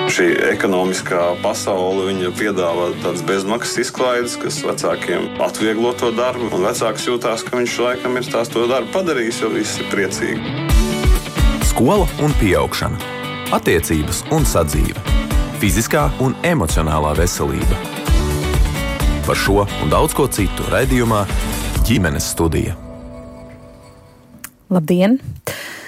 Šī ekonomiskā pasaule viņa piedāvā tādas bezmaksas izklaides, kas vecākiem atvieglo to darbu. Un vecāks jūtās, ka viņš laikam ir to darbu padarījis, jo visi ir priecīgi. Skola un pieaugšana, attiecības un sadzīve, fiziskā un emocionālā veselība. Par šo un daudz ko citu raidījumā Ģimenes studija. Labdien!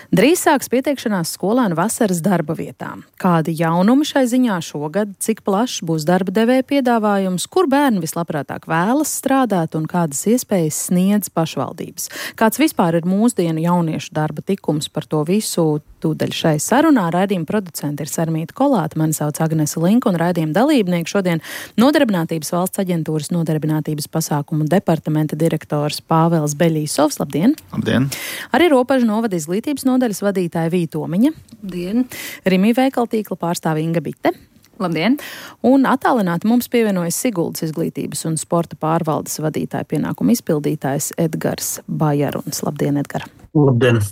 Drīz sāks pieteikšanās skolēnu vasaras darba vietām. Kādi jaunumi šai ziņā šogad, cik plašs būs darba devēja piedāvājums, kur bērni vislabprātāk vēlas strādāt un kādas iespējas sniedz pašvaldības. Kāds vispār ir mūsdienu jauniešu darba tikums, par to visu tūdaļ šai sarunā. Raidījuma producenti ir Sarmīta Kolāte, mani sauc Agnese Linka un raidījuma dalībnieki šodien Nodarbinātības valsts aģentūras nodarbinātības pasākumu departamenta direktors Pāvels Beļīsovs. Labdien! Labdien! Arī Ropažu novada izglītības nodaļas vadītāja Vīta Omiņa. Labdien! Rimi veikaltīkla pārstāve Inga Bite. Labdien! Un attālināti mums pievienojas Siguldas izglītības un sporta pārvaldes vadītāja pienākumu izpildītājs Edgars Bajaruns. Labdien, Edgar! Labdien!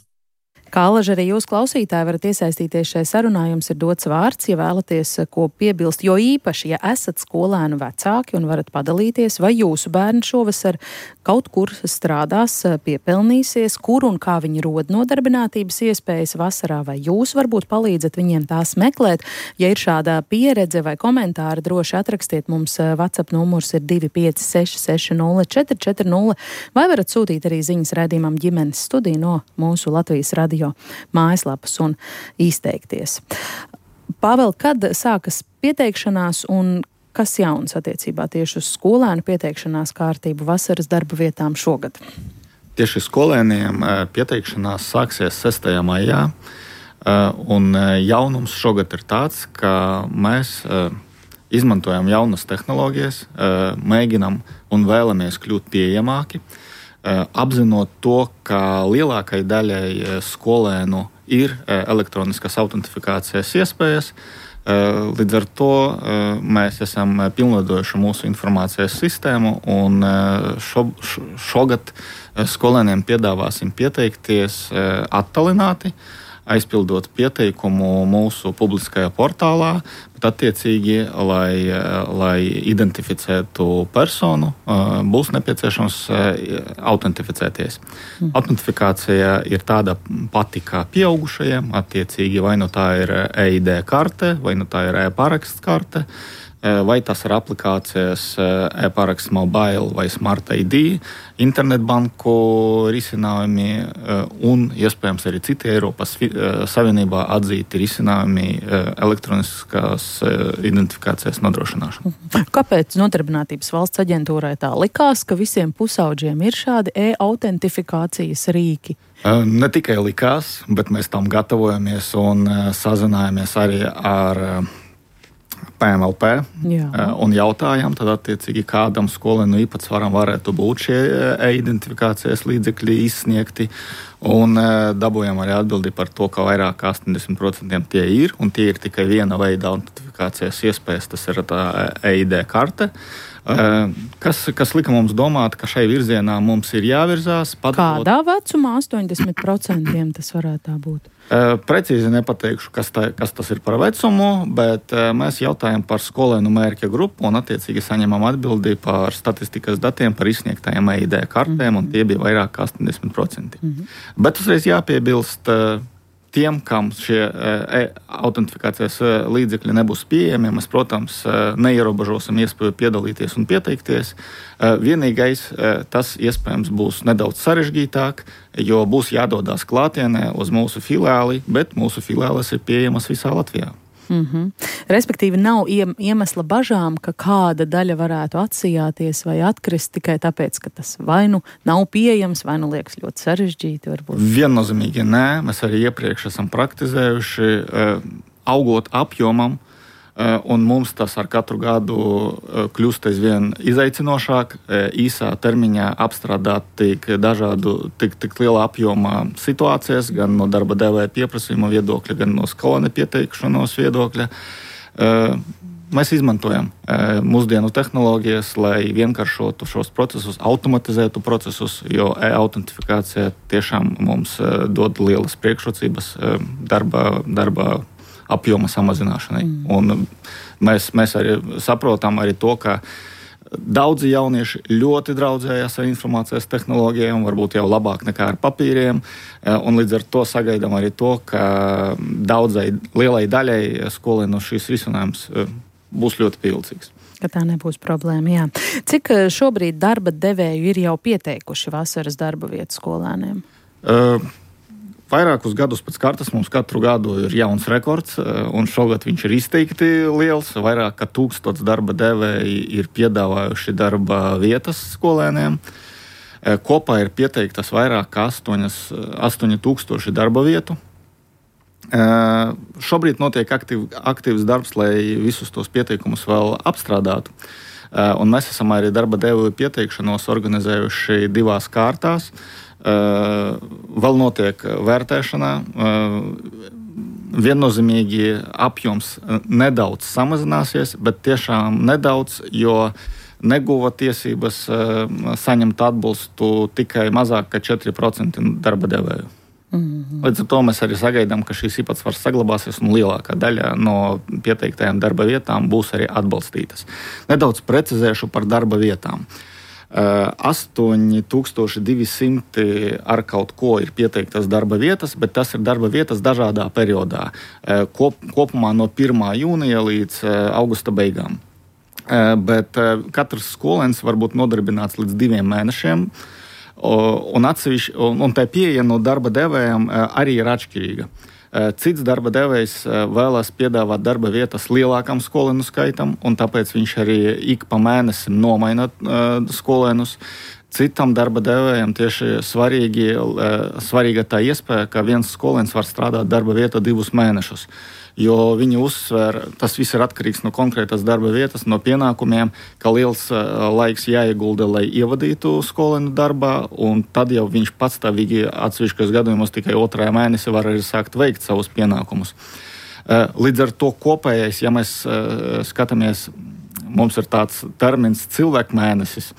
Kā alaži arī jūs klausītāji varat iesaistīties šai sarunā, jums ir dots vārds, ja vēlaties ko piebilst, jo īpaši, ja esat skolēnu vecāki un varat padalīties, vai jūsu bērni šovasar kaut kur strādās, piepelnīsies, kur un kā viņi rod nodarbinātības iespējas vasarā, vai jūs varbūt palīdzat viņiem tās meklēt. Ja ir šādā pieredze vai komentāri, droši atrakstiet mums. WhatsApp numurs ir 256 60 440, vai varat sūtīt arī ziņas raidījumam Ģimenes studija no mūsu Latvijas radio mājaslapas un izteikties. Pāvēl, kad sākas pieteikšanās un kas jauns attiecībā tieši uz skolēnu pieteikšanās kārtību vasaras darba vietām šogad? Tieši skolēniem pieteikšanās sāksies 6. maijā, un jaunums šogad ir tāds, ka mēs izmantojam jaunas tehnoloģijas, mēģinam un vēlamies kļūt pieejamāki, apzinot to, ka lielākai daļai skolēnu ir elektroniskas autentifikācijas iespējas. Līdz ar to mēs esam pilnveidojuši mūsu informācijas sistēmu, un šogad skolēniem piedāvāsim pieteikties attālināti, aizpildot pieteikumu mūsu publiskajā portālā, bet attiecīgi, lai identificētu personu, būs nepieciešams autentificēties. Autentifikācija ir tāda pati kā pieaugušajiem, attiecīgi vai nu tā ir EID karte, vai nu tā ir e-paraksts karte, vai tas ir aplikācijas e-paraksts mobile vai smart ID, internetbanku risinājumi un iespējams arī citi Eiropas Savienībā atzīti risinājumi elektroniskās identifikācijas nodrošināšana. Kāpēc Nodarbinātības valsts aģentūrai tā likās, ka visiem pusaudžiem ir šādi e-autentifikācijas rīki? Ne tikai likās, bet mēs tam gatavojamies un sazinājāmies arī ar PMLP un jautājām, tad attiecīgi kādam skolēnu īpatsvaram varētu būt šie e-identifikācijas līdzekļi izsniegti, un dabūjām arī atbildi par to, ka vairāk kā 80% tie ir, un tie ir tikai viena veida autentifikācijas iespējas, tas ir tā EID karte. Kas lika mums domāt, ka šai virzienā mums ir jāvirzās. Kādā vecumā 80% tas varētu tā būt? Precīzi nepateikšu, kas tas ir par vecumu, bet mēs jautājam par skolēnu mērķa grupu un attiecīgi saņemam atbildi par statistikas datiem par izsniegtajiem EID kartēm, un tie bija vairāk kā 80%. Bet uzreiz jāpiebilst tiem, kam šie autentifikācijas līdzekļi nebūs pieejami, mēs, protams, neierobežosim iespēju piedalīties un pieteikties. Vienīgais, tas iespējams būs nedaudz sarežģītāk, jo būs jādodas klātienē uz mūsu filiāli, bet mūsu filiāles ir pieejamas visā Latvijā. Respektīvi, nav iemesla bažām, ka kāda daļa varētu atsijāties vai atkrist tikai tāpēc, ka tas vai nu nav pieejams, vai nu liekas ļoti sarežģīti. Varbūt. Viennozīmīgi nē, mēs arī iepriekš esam praktizējuši, augot apjomam, un mums tas ar katru gadu kļūst aizvien izaicinošāk, īsā termiņā apstrādāt tik lielā apjomā situācijas, gan no darba devēja pieprasījuma viedokļa, gan no skolēnu pieteikšanos viedokļa. Mēs izmantojam mūsdienu tehnoloģijas, lai vienkāršotu šos procesus, automatizētu procesus, jo e-autentifikācija tiešām mums dod lielas priekšrocības darba apjoma samazināšanai. Un mēs arī saprotam arī to, ka daudzi jaunieši ļoti draudzējās ar informācijas tehnoloģijām, varbūt jau labāk nekā ar papīriem, un līdz ar to sagaidām arī to, ka lielai daļai skolēnu šīs risinājums būs ļoti pievilcīgs. Ka tā nebūs problēma, jā. Cik šobrīd darba devēju ir jau pieteikuši vasaras darba vietu skolēniem? Vairākus gadus pēc kārtas mums katru gadu ir jauns rekords, un šogad viņš ir izteikti liels. Vairāk kā 1000 darba devēji ir piedāvājuši darba vietas skolēniem. Kopā ir pieteiktas vairāk kā 8000 darba vietu. Šobrīd notiek aktīvs darbs, lai visus tos pieteikumus vēl apstrādātu. Un mēs esam arī darba devēju pieteikšanos organizējuši 2 kārtās. Vēl notiek vērtēšana. Viennozīmīgi apjoms nedaudz samazināsies, bet tiešām nedaudz, jo neguva tiesības saņemt atbalstu tikai mazāk kā 4% darba devēju. Līdz ar to mēs arī sagaidām, ka šīs īpatsvars saglabāsies un lielākā daļa no pieteiktajām darba vietām būs arī atbalstītas. Nedaudz precizēšu par darba vietām. 8200 ar kaut ko ir pieteiktas darba vietas, bet tas ir darba vietas dažādā periodā. Kopumā no 1. jūnija līdz augusta beigām. Bet katrs skolēns var būt nodarbināts līdz 2 mēnešiem, un tā pieeja no darba devējiem arī ir atšķirīga. Cits darba devējs vēlas piedāvāt darba vietas lielākam skolēnu skaitam, un tāpēc viņš arī ik pa mēnesim nomaina skolēnus. Citam darba devējam tieši svarīga tā iespēja, ka viens skolēns var strādāt darba vietā 2 mēnešus. Jo viņi uzsver, tas viss ir atkarīgs no konkrētas darba vietas, no pienākumiem, ka liels laiks jāiegulda, lai ievadītu skolēnu darbā, un tad jau viņš patstāvīgi atsevišķos gadījumos tikai 2. mēnesī var arī sākt veikt savus pienākumus. Līdz ar to kopējais, ja mēs skatāmies, mums ir tāds termins cilvēku mēnesis,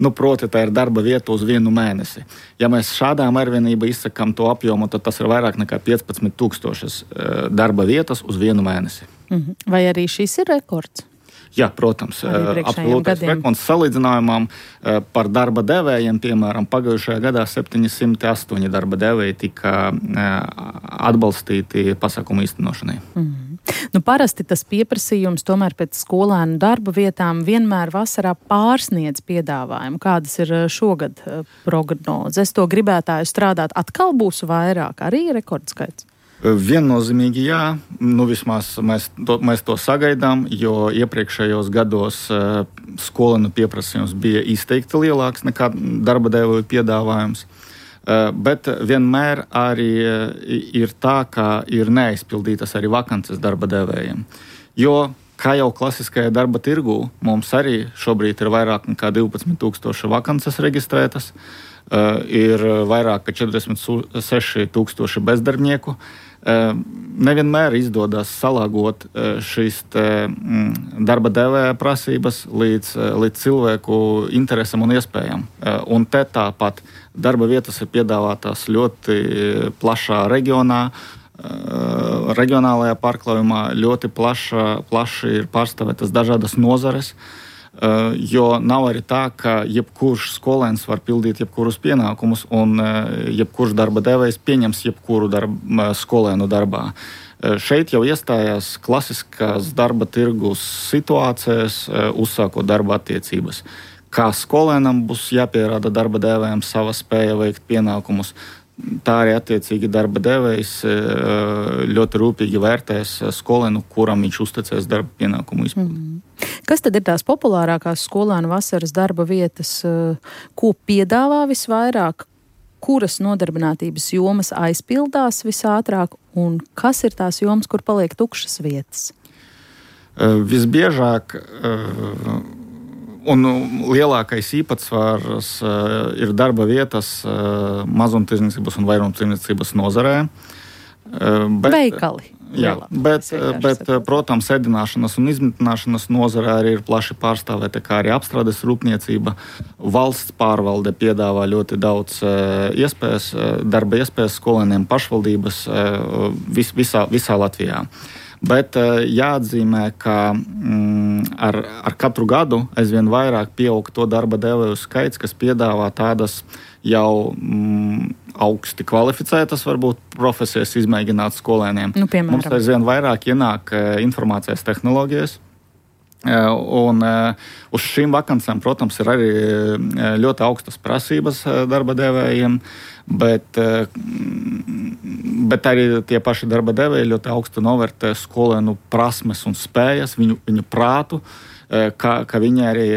proti tā ir darba vieta uz 1 mēnesi. Ja mēs šādā mērvienībā izsakām to apjomu, tad tas ir vairāk nekā 15,000 darba vietas uz 1 mēnesi. Vai arī šis ir rekords? Jā, protams, absolūtais rekords salīdzinājumam par darba devējiem, piemēram, pagājušajā gadā 708 darba devēji tika atbalstīti pasākumu īstenošanai. Parasti tas pieprasījums tomēr pēc skolēnu darba vietām vienmēr vasarā pārsniedz piedāvājumu. Kādas ir šogad prognozes? Es to gribētāju strādāt atkal būs vairāk, arī rekordskaits? Viennozīmīgi jā, vismaz mēs to sagaidām, jo iepriekšējos gados skolēnu pieprasījums bija izteikti lielāks nekā darba devēju piedāvājums. Bet vienmēr arī ir tā, ka ir neaizpildītas arī vakances darba devējiem. Jo, kā jau klasiskajā darba tirgū, mums arī šobrīd ir vairāk nekā 12,000 vakances reģistrētas, ir vairāk kā 46,000 bezdarbnieku. Nevienmēr izdodas salāgot šīs darba devēja prasības līdz cilvēku interesam un iespējām. Un te tāpat darba vietas ir piedāvātās ļoti plašā reģionā, reģionālajā pārklājumā, ļoti plaši ir pārstāvētas dažādas nozares. Jo nav arī tā, ka jebkurš skolēns var pildīt jebkurus pienākumus, un jebkurš darba devējs pieņems jebkuru skolēnu darbā. Šeit jau iestājās klasiskās darba tirgus situācijas, uzsākot darba attiecības. Kā skolēnam būs jāpierāda darba devējam sava spēja veikt pienākumus, tā arī attiecīgi darba devējs ļoti rūpīgi vērtēs skolēnu, kuram viņš uzticēs darba pienākumu izpildi. Kas tad ir tās populārākās skolēnu vasaras darba vietas, ko piedāvā visvairāk, kuras nodarbinātības jomas aizpildās visātrāk un kas ir tās jomas, kur paliek tukšas vietas? Visbiežāk un lielākais īpatsvars ir darba vietas mazumtirdzniecības un vairumtirdzniecības nozarē. Veikali. Jā, bet, protams, ēdināšanas un izmitināšanas nozarē arī ir plaši pārstāvēta, kā arī apstrādes rūpniecība. Valsts pārvalde piedāvā ļoti daudz darba iespējas skolēniem pašvaldības visā Latvijā. Bet jāatzīmē, ka ar katru gadu aizvien vairāk pieaug to darba devēju skaits, kas piedāvā tādas jau augsti kvalificētas, varbūt profesijas izmēģināt skolēniem. Piemēram. Mums aizvien vairāk ienāk informācijas tehnoloģijas. Un uz šīm vakancēm, protams, ir arī ļoti augstas prasības darba devējiem, bet arī tie paši darba devēji ļoti augstu novērtē skolēnu prasmes un spējas, viņu prātu, ka viņi arī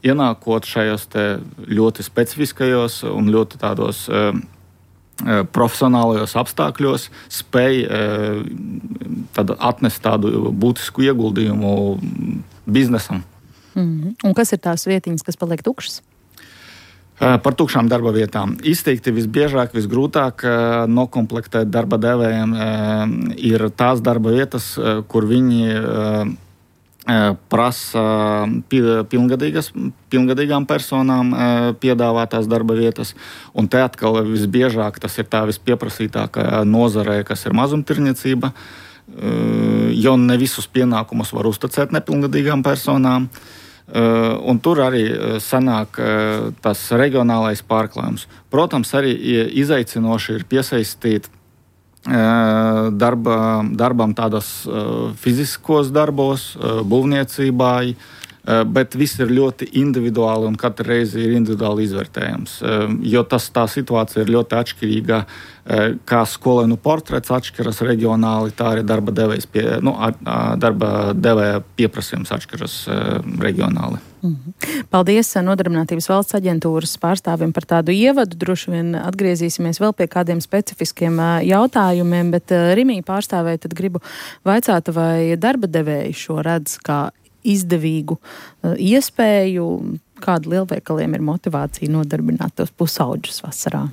ienākot šajos te ļoti specifiskajos un ļoti tādos profesionālajos apstākļos spēj atnest tādu būtisku ieguldījumu biznesam. Un kas ir tās vietiņas, kas paliek tukšas? Par tukšām darba vietām. Izteikti visbiežāk, visgrūtāk nokomplektēt darba devējiem ir tās darba vietas, kur viņi prasa pilngadīgām personām piedāvātās darba vietas. Un te atkal visbiežāk tas ir tā vispieprasītākā nozarē, kas ir mazumtirniecība, jo ne visus pienākumus var uzticēt nepilngadīgām personām. Un tur arī sanāk tas reģionālais pārklājums. Protams, arī izaicinoši ir piesaistīt darbam tādos fiziskos darbos, būvniecībai, bet viss ir ļoti individuāli un katru reizi ir individuāli izvērtējams. Jo tā situācija ir ļoti atšķirīga, kā skolēnu portrets atšķiras reģionāli, tā arī darba devēja pieprasījums atšķiras reģionāli. Paldies Nodarbinātības valsts aģentūras pārstāvim par tādu ievadu. Droši vien atgriezīsimies vēl pie kādiem specifiskiem jautājumiem, bet Rimī pārstāvēja tad gribu vaicāt, vai darba devēji šo redz kā izdevīgu iespēju, kāda lielveikaliem ir motivācija nodarbināt tos pusauģus vasarā?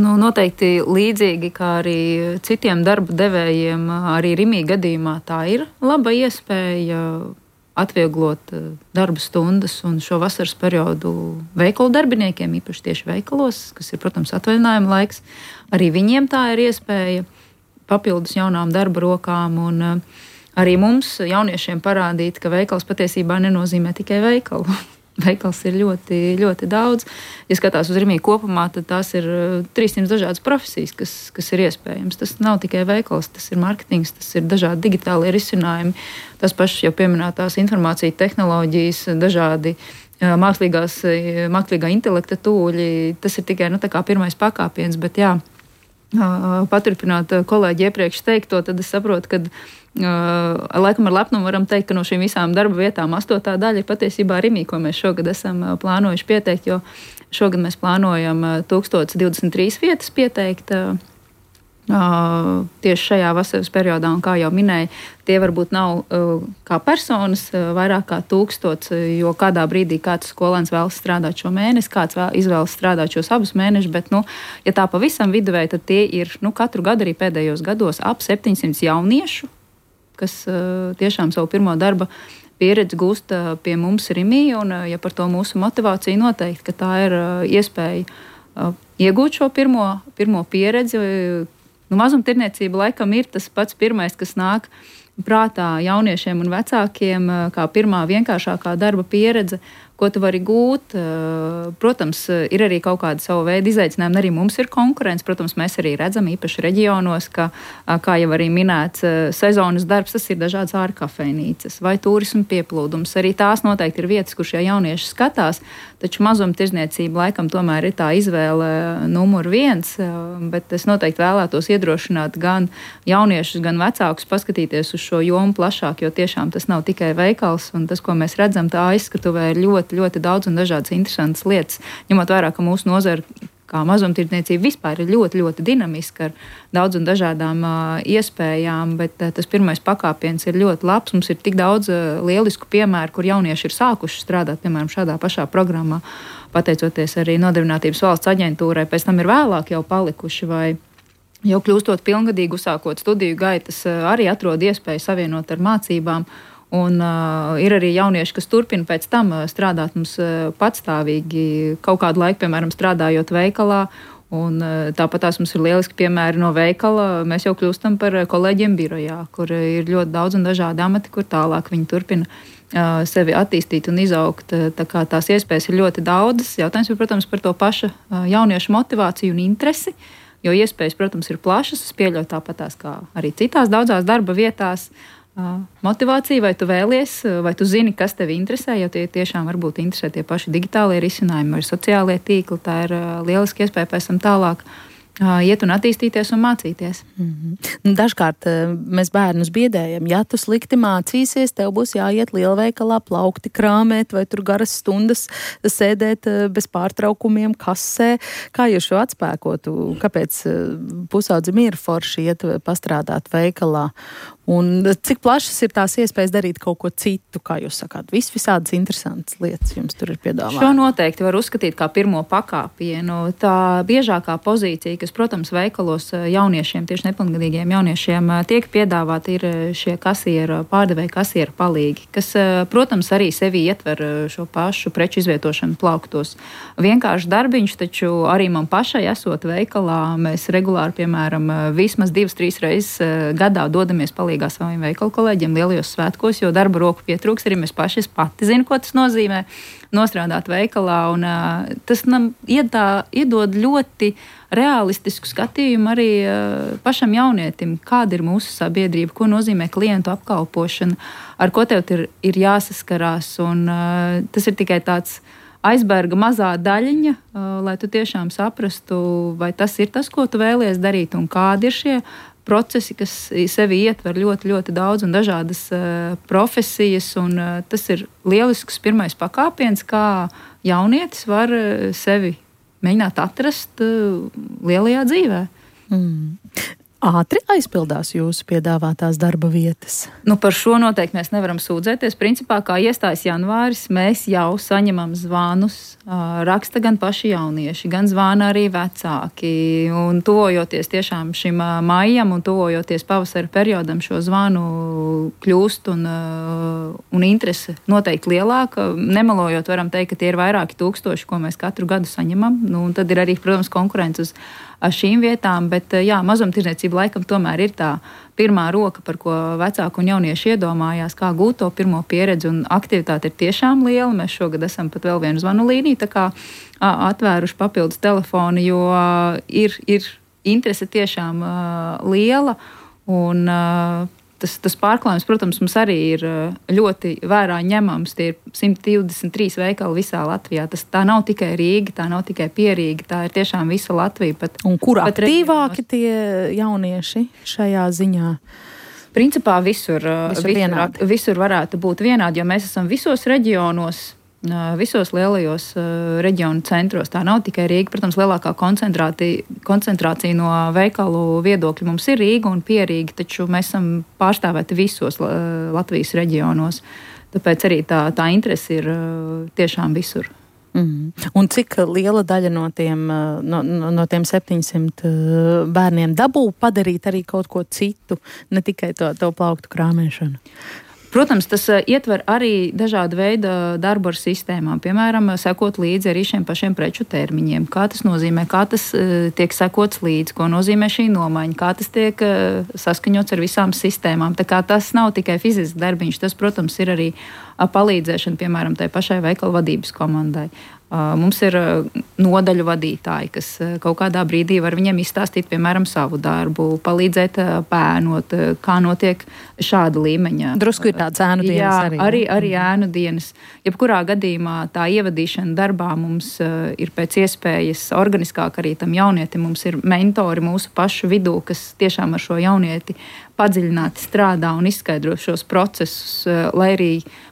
Noteikti līdzīgi kā arī citiem darba devējiem, arī Rimī gadījumā tā ir laba iespēja atvieglot darba stundas un šo vasaras periodu veikalu darbiniekiem, īpaši tieši veikalos, kas ir, protams, atvaļinājuma laiks. Arī viņiem tā ir iespēja papildus jaunām darba rokām un arī mums, jauniešiem, parādīt, ka veikals patiesībā nenozīmē tikai veikalu. Veikals ir ļoti, ļoti daudz. Ja skatās uz Rimī kopumā, tad tās ir 300 dažādas profesijas, kas ir iespējams. Tas nav tikai veikals, tas ir marketings, tas ir dažādi digitālie risinājumi, tas pašas jau pieminētās informācija tehnoloģijas, dažādi mākslīgā intelekta tūļi. Tas ir tikai tā kā pirmais pakāpiens, bet jā, paturpināt kolēģi iepriekš teikto, tad es saprotu, ka laikam ar lepnumu varam teikt, ka no šīm visām darba vietām 8. daļa ir patiesībā Rimī, ko mēs šogad esam plānojuši pieteikt, jo šogad mēs plānojam 1023 vietas pieteikt tieši šajā vasaras periodā, un kā jau minēju, tie varbūt nav kā personas, vairāk kā 1000, jo kādā brīdī kāds skolēns vēlas strādāt šo mēnesi, kāds izvēlas strādāt šos abus mēnešus, bet, ja tā pavisam viduvēji, tad tie ir, katru gadu arī pēdējos gados ap 700 jauniešu, kas tiešām savu pirmo darba pieredzi gūst pie mums Rimī, un ja par to mūsu motivāciju noteikti, ka tā ir iespēja iegūt šo pirmo pieredzi. Mazumtirniecība laikam ir tas pats pirmais, kas nāk prātā jauniešiem un vecākiem, kā pirmā vienkāršākā darba pieredze, ko tu vari gūt. Protams, ir arī kaut kāda sava veida izaicinājumi, arī mums ir konkurence. Protams, mēs arī redzam īpaši reģionos, ka, kā jau arī minēts, sezonas darbs, tas ir dažādas ārkafejnīcas vai turismu pieplūdums. Arī tās noteikti ir vietas, kur šie jaunieši skatās, taču mazumtirdzniecība laikam tomēr ir tā izvēle numur 1, bet es noteikti vēlētos iedrošināt gan jauniešus, gan vecākus paskatīties uz šo jomu plašāk, jo tiešām tas nav tikai veikals, un tas, ko mēs redzam, tā aizskatuvē ir ļoti, ļoti daudz un dažādas interesantas lietas, ņemot vērā, ka mūsu nozara kā mazumtirdzniecība vispār ir ļoti, ļoti dinamiska ar daudz un dažādām iespējām, bet tas pirmais pakāpiens ir ļoti labs. Mums ir tik daudz lielisku piemēru, kur jaunieši ir sākuši strādāt, piemēram, šādā pašā programmā, pateicoties arī Nodarbinātības valsts aģentūrai, pēc tam ir vēlāk jau palikuši vai jau kļūstot pilngadīgi, uzsākot studiju gaitas, arī atrod iespēju savienot ar mācībām. Un ir arī jaunieši, kas turpina pēc tam strādāt mums patstāvīgi kaut kādu laiku, piemēram, strādājot veikalā Un tāpat tās mums ir lieliski piemēri no veikala. Mēs jau kļūstam par kolēģiem birojā, kur ir ļoti daudz un dažādi amati, kur tālāk viņi turpina sevi attīstīt un izaugt. Tā kā tās iespējas ir ļoti daudzas. Jautājums ir, protams, par to pašu jauniešu motivāciju un interesi, jo iespējas, protams, ir plašas. Es pieļauju tāpatās kā arī citās daudzās darba vietās. Motivācija, vai tu vēlies, vai tu zini, kas tevi interesē, jo tie tiešām varbūt interesē tie paši digitālie risinājumi vai sociālie tīkli. Tā ir lieliski iespēja pēc tam tālāk iet un attīstīties un mācīties. Dažkārt mēs bērnus biedējam, ja tu slikti mācīsies, tev būs jāiet lielveikalā plaukti krāmēt vai tur garas stundas sēdēt bez pārtraukumiem kasē. Kā jūs šo atspēkotu? Kāpēc pusaudzim ir forši iet pastrādāt veikalā? Un cik plašas ir tās iespējas darīt kaut ko citu, kā jūs sakāt? Visādas interesantas lietas jums tur ir piedāvātas. Šo noteikti var uzskatīt kā pirmo pakāpienu. Tā biežākā pozīcija, kas, protams, veikalos jauniešiem, tieši nepilngadīgiem jauniešiem tiek piedāvāti, ir šie pārdevēja kasieru palīgi, kas, protams, arī sevi ietver šo pašu preču izvietošanu plauktos. Vienkārši darbiņš, taču arī man pašai esot veikalā, mēs regulāri, piemēram, vismaz 2-3 reizes gadā dodamies palīgā saviem veikalu kolēģiem lielajos svētkos, jo darba roku pietrūks, arī mēs paši, es pati zinu, ko tas nozīmē nostrādāt veikalā, un tas iedod ļoti realistisku skatījumu arī pašam jaunietim, kāda ir mūsu sabiedrība, ko nozīmē klientu apkalpošana, ar ko tev ir jāsaskarās, un tas ir tikai tāds aizberga mazā daļiņa, lai tu tiešām saprastu, vai tas ir tas, ko tu vēlies darīt, un kādi ir šie procesi, kas sevi ietver ļoti, ļoti daudz un dažādas profesijas, un tas ir lielisks pirmais pakāpiens, kā jaunietis var sevi mēģināt atrast lielajā dzīvē. Ātri aizpildās jūsu piedāvātās darba vietas? Par šo noteikti mēs nevaram sūdzēties. Principā, kā iestājas janvāris, mēs jau saņemam zvanus, raksta gan paši jaunieši, gan zvana arī vecāki. Un tuvojoties tiešām šim maijam un tuvojoties pavasara periodam, šo zvanu kļūst un interese noteikti lielāka. Nemelojot, varam teikt, ka tie ir vairāki tūkstoši, ko mēs katru gadu saņemam. Un tad ir arī, protams, konkurence uz šīm vietām, bet mazumtirdzniecība laikam tomēr ir tā pirmā roka, par ko vecāki un jaunieši iedomājās, kā gūt to pirmo pieredzi, un aktivitāte ir tiešām liela. Mēs šogad esam pat vēl vienu zvanu līniju, tā kā atvēruši papildus telefonu, jo ir interese tiešām liela, un tas pārklājums, protams, mums arī ir ļoti vērā ņemams. Tie ir 123 veikali visā Latvijā. Tā nav tikai Rīga, tā nav tikai Pierīga, tā ir tiešām visa Latvija. Un kur aktīvāki tie jaunieši šajā ziņā? Principā visur varētu būt vienādi, jo mēs esam visos reģionos, visos lielajos reģionu centros. Tā nav tikai Rīga. Protams, lielākā koncentrācija no veikalu viedokļa mums ir Rīga un Pierīga, taču mēs esam pārstāvēti visos Latvijas reģionos. Tāpēc arī tā interese ir tiešām visur. Un cik liela daļa no tiem 700 bērniem dabū padarīt arī kaut ko citu, ne tikai to plauktu krāmēšanu? Protams, tas ietver arī dažādu veidu darbu ar sistēmām, piemēram, sekot līdzi arī šiem pašiem preču termiņiem. Kā tas nozīmē, kā tas tiek sekots līdzi, ko nozīmē šī nomaiņa, kā tas tiek saskaņots ar visām sistēmām. Tā kā tas nav tikai fizisks darbiņš, tas, protams, ir arī palīdzēšana, piemēram, tai pašai veikalu vadības komandai. Mums ir nodaļu vadītāji, kas kaut kādā brīdī var viņiem izstāstīt, piemēram, savu darbu, palīdzēt pēnot, kā notiek šāda līmeņa. Drusku ir tāds ēnu dienas arī. Arī ēnu dienas. Jebkurā gadījumā tā ievadīšana darbā mums ir pēc iespējas organiskāk arī tam jaunietim. Mums ir mentori mūsu pašu vidū, kas tiešām ar šo jaunieti padziļināti strādā un izskaidro šos procesus, lai arī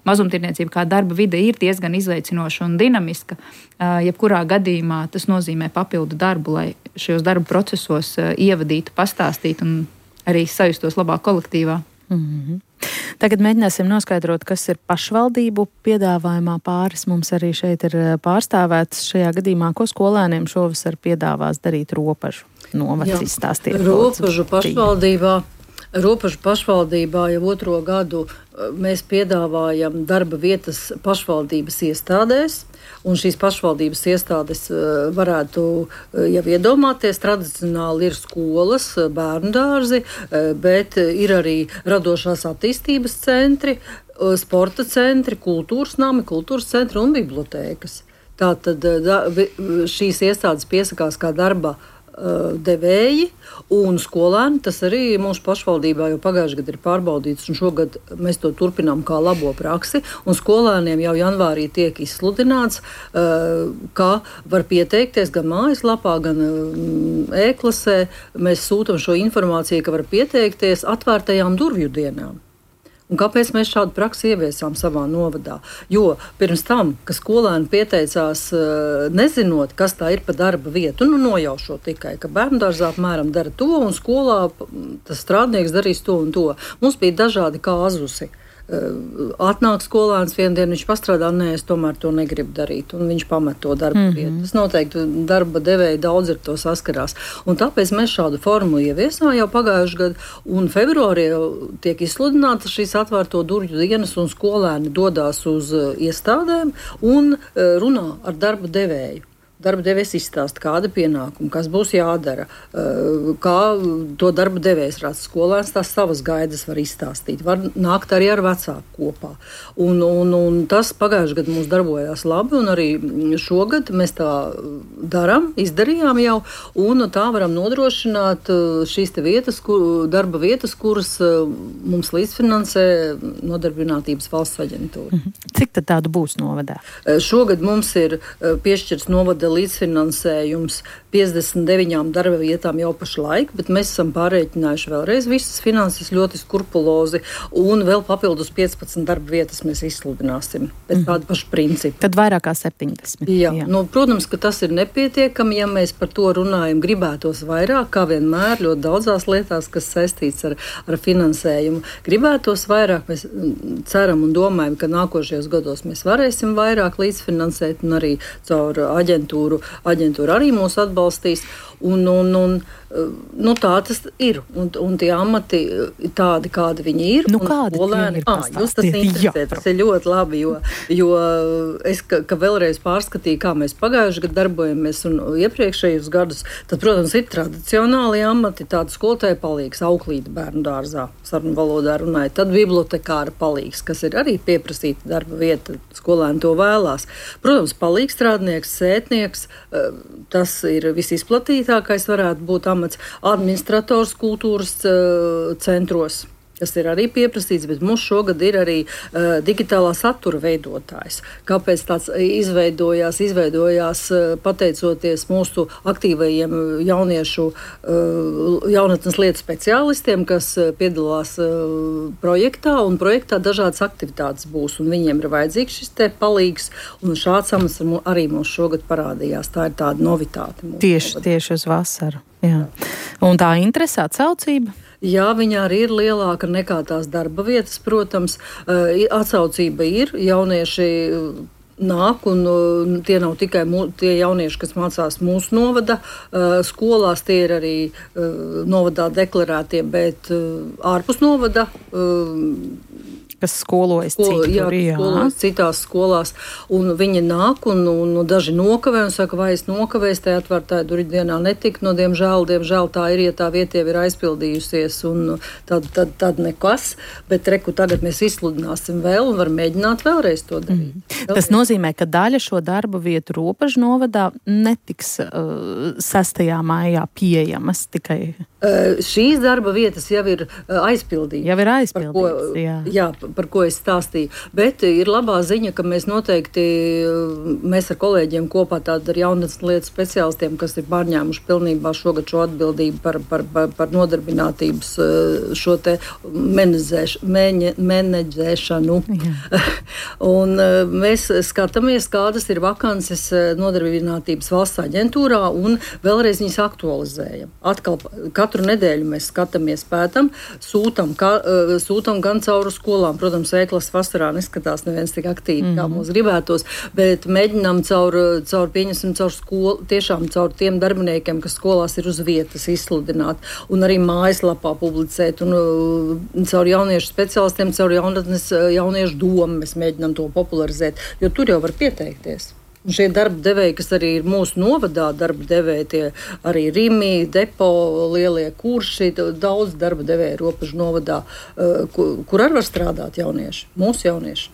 mazumtirdzniecība kā darba vide ir diezgan izaicinoša un dinamiska. Jebkurā gadījumā tas nozīmē papildu darbu, lai šajos darba procesos ievadītu, pastāstītu un arī sajustos labāk kolektīvā. Tagad mēģināsim noskaidrot, kas ir pašvaldību piedāvājumā. Pāris mums arī šeit ir pārstāvēts šajā gadījumā, ko skolēniem šovasar piedāvās darīt Ropažu novads izstāstīt. Ropažu pašvaldībā Ropažu pašvaldībā jau 2. gadu mēs piedāvājam darba vietas pašvaldības iestādēs, un šīs pašvaldības iestādes varētu jau iedomāties, tradicionāli ir skolas, bērnu dārzi, bet ir arī radošās attīstības centri, sporta centri, kultūras nami, kultūras centri un bibliotēkas. Tātad šīs iestādes piesakās kā darba devēji un skolēni. Tas arī mūsu pašvaldībā jau pagājušajā gadā ir pārbaudīts, un šogad mēs to turpinām kā labo praksi. Un skolēniem jau janvārī tiek izsludināts, ka var pieteikties gan mājaslapā, gan e-klasē. Mēs sūtam šo informāciju, ka var pieteikties atvērtajām durvju dienām. Un kāpēc mēs šādu praksi ieviesām savā novadā? Jo pirms tam, ka skolēni pieteicās, nezinot, kas tā ir pa darba vietu, nojaušot tikai, ka bērndārzā apmēram dara to, un skolā tas strādnieks darīs to un to. Mums bija dažādi kāzusi. Atnāk skolēns vienu dienu, viņš pastrādā, es tomēr to negribu darīt, un viņš pamet to darba vietu. Tas noteikti darba devēji daudz ar to saskarās. Un tāpēc mēs šādu formu ieviesām jau pagājušajā gadā, un februārī jau tiek izsludinātas šīs atvērto durvju dienas, un skolēni dodās uz iestādēm un runā ar darba devēju. Darba devējs izstāsta, kāda pienākuma, kas būs jādara, kā to darba devējs redz. Skolēns tās savas gaidas var izstāstīt, var nākt arī ar vecāku kopā. Un tas pagājušajā gadā mums darbojās labi, un arī šogad mēs tā izdarījām jau, un tā varam nodrošināt šīs te vietas, darba vietas, kuras mums līdzfinansē Nodarbinātības valsts aģentūra. Cik tad tādu būs novadā? Šogad mums ir piešķirts novada līdzfinansējums 59 darba vietām jau pašlaik, bet mēs esam pārreikinājuši vēlreiz visas finanses ļoti skrupulozi, un vēl papildus 15 darba vietas mēs izsludināsim pēc tāda paša principa. Tad vairāk kā 70. Jā. Protams, ka tas ir nepietiekami, ja mēs par to runājam, gribētos vairāk, kā vienmēr ļoti daudzās lietās, kas saistīts ar finansējumu. Gribētos vairāk, mēs ceram un domājam, ka nākošajos gados mēs varēsim vairāk līdzfinansēt, un arī caur aģentūra arī mūs atbalstīs. Tā tas ir. Un tie amati tādi, kādi viņi ir. Kādi skolēni, jūs tas interesē. Tas ir ļoti labi, jo es, ka vēlreiz pārskatīju, kā mēs pagājuši gadu darbojamies un iepriekšējos gadus, tad, protams, ir tradicionāli amati, tāda skolotāja palīgs, auklīte bērnu dārzā, sarunu valodā runāja, tad bibliotekāra palīgs, kas ir arī pieprasīta darba vieta, skolēni to vēlās. Protams, palīgstrādnieks, sētnieks, tas ir visizplatītākais varētu būt amats, administrators kultūras centros, kas ir arī pieprasīts, bet mums šogad ir arī digitālā satura veidotājs. Kāpēc tāds izveidojās pateicoties mūsu aktīvajiem jauniešu jaunatnes lietu speciālistiem, kas piedalās projektā, un projektā dažādas aktivitātes būs, un viņiem ir vajadzīgs šis te palīgs, un šāds amats arī mums šogad parādījās. Tā ir tāda novitāte. Tieši uz vasaru. Jā. Un tā interese, atsaucība? Jā, viņa arī ir lielāka nekā tās darba vietas, protams. Atsaucība ir, jaunieši nāk, un tie nav tikai tie jaunieši, kas mācās mūsu novada skolās, tie ir arī novadā deklarētie, bet ārpus novada kas skolojas skolojas citās skolās, un viņi nāk, un daži nokavē, un saka, vai es nokavēs, tajā atvērtāja durvju dienā netika, diemžēl tā ir, ja tā vieta jau ir aizpildījusies, un tad nekas, bet tagad mēs izsludināsim vēl, un var mēģināt vēlreiz to darīt. Tas nozīmē, ka daļa šo darbu vietu Ropažu novadā netiks 6. maijā pieejamas tikai. Šīs darba vietas jau ir aizpildītas. Par ko es stāstīju. Bet ir labā ziņa, ka mēs noteikti, mēs ar kolēģiem kopā ar jaunatnes lietu speciālistiem, kas ir pārņēmuši pilnībā šogad šo atbildību par nodarbinātības šo te menedžēšanu. Un mēs skatāmies, kādas ir vakances nodarbinātības valsts aģentūrā, un vēlreiz viņas aktualizējam. Atkal katru nedēļu mēs skatāmies, pētam, sūtam gan cauri skolām, protams, veiklas vasarā neskatās neviens tik aktīvi, kā mums gribētos, bet mēģinām caur skolu, tiešām caur tiem darbiniekiem, kas skolās ir uz vietas, izsludināt un arī mājaslapā publicēt un caur jauniešu speciālistiem, caur jauniešu domu mēs mēģinām to popularizēt, jo tur jau var pieteikties. Un šie darba devēji, kas arī ir mūsu novadā, darba devēji, tie arī Rimi, Depo, lielie kurši, daudz darba devēji Robežu novadā, kur arī var strādāt jaunieši, mūsu jaunieši.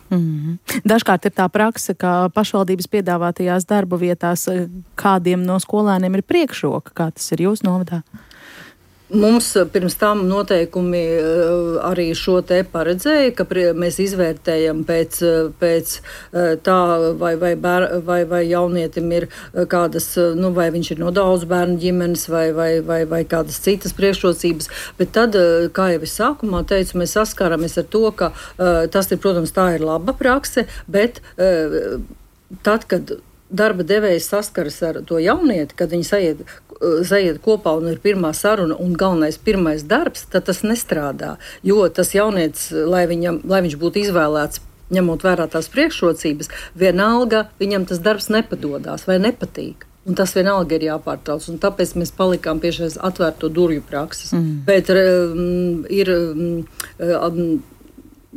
Dažkārt ir tā prakse, ka pašvaldības piedāvātajās darba vietās kādiem no skolēniem ir priekšroka, kā tas ir jūsu novadā? Mums pirms tam noteikumi arī šo te paredzēja, ka mēs izvērtējam pēc tā, vai jaunietim ir kādas, vai viņš ir no daudz bērnu ģimenes, vai kādas citas priekšrocības. Bet tad, kā jau es sākumā teicu, mēs saskaramies ar to, ka tas ir, protams, tā ir laba prakse, bet tad, kad darba devējs saskaras ar to jaunieti, kad viņi sajiet kopā un ir pirmā saruna un galvenais pirmais darbs, tad tas nestrādā. Jo tas jaunietis, lai viņš būtu izvēlēts, ņemot vērā tās priekšrocības, vienalga viņam tas darbs nepadodās vai nepatīk. Un tas vienalga ir jāpārtrauc. Un tāpēc mēs palikām pie šīs atvērto durvju prakses. Bet ir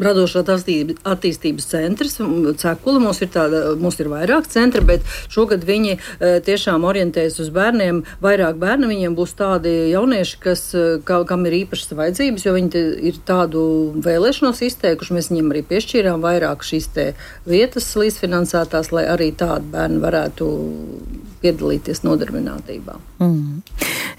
Radošā attīstības centrs, Cekula, mums ir vairāk centri, bet šogad viņi tiešām orientējas uz bērniem. Vairāk bērni viņiem būs tādi jaunieši, kam ir īpašas vajadzības, jo viņi ir tādu vēlēšanos izteikuši. Mēs viņiem arī piešķīrām vairāk šīs te vietas līdzfinansētās, lai arī tādi bērni varētu piedalīties nodarbinātībā.